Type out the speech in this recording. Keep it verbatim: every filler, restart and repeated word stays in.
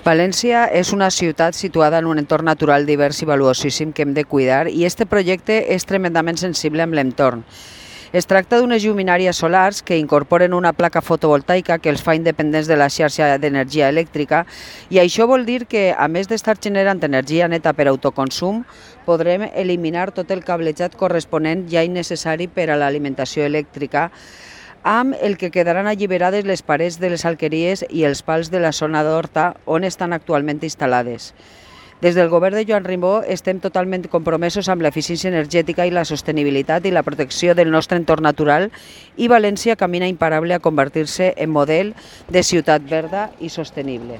València és una ciutat situada en un entorn natural divers i valuosíssim que hem de cuidar i este projecte és tremendament sensible amb l'entorn. Es tracta d'unes lluminàries solars que incorporen una placa fotovoltaica que els fa independents de la xarxa d'energia elèctrica i això vol dir que, a més d'estar generant energia neta per autoconsum, podrem eliminar tot el cablejat corresponent ja innecessari per a l'alimentació elèctrica, amb el que quedaran alliberades les parets de les alqueries i els pals de la zona d'Horta on estan actualment instal·lades. Des del govern de Joan Ribó estem totalment compromesos amb l'eficiència energètica i la sostenibilitat i la protecció del nostre entorn natural i València camina imparable a convertir-se en model de ciutat verda i sostenible.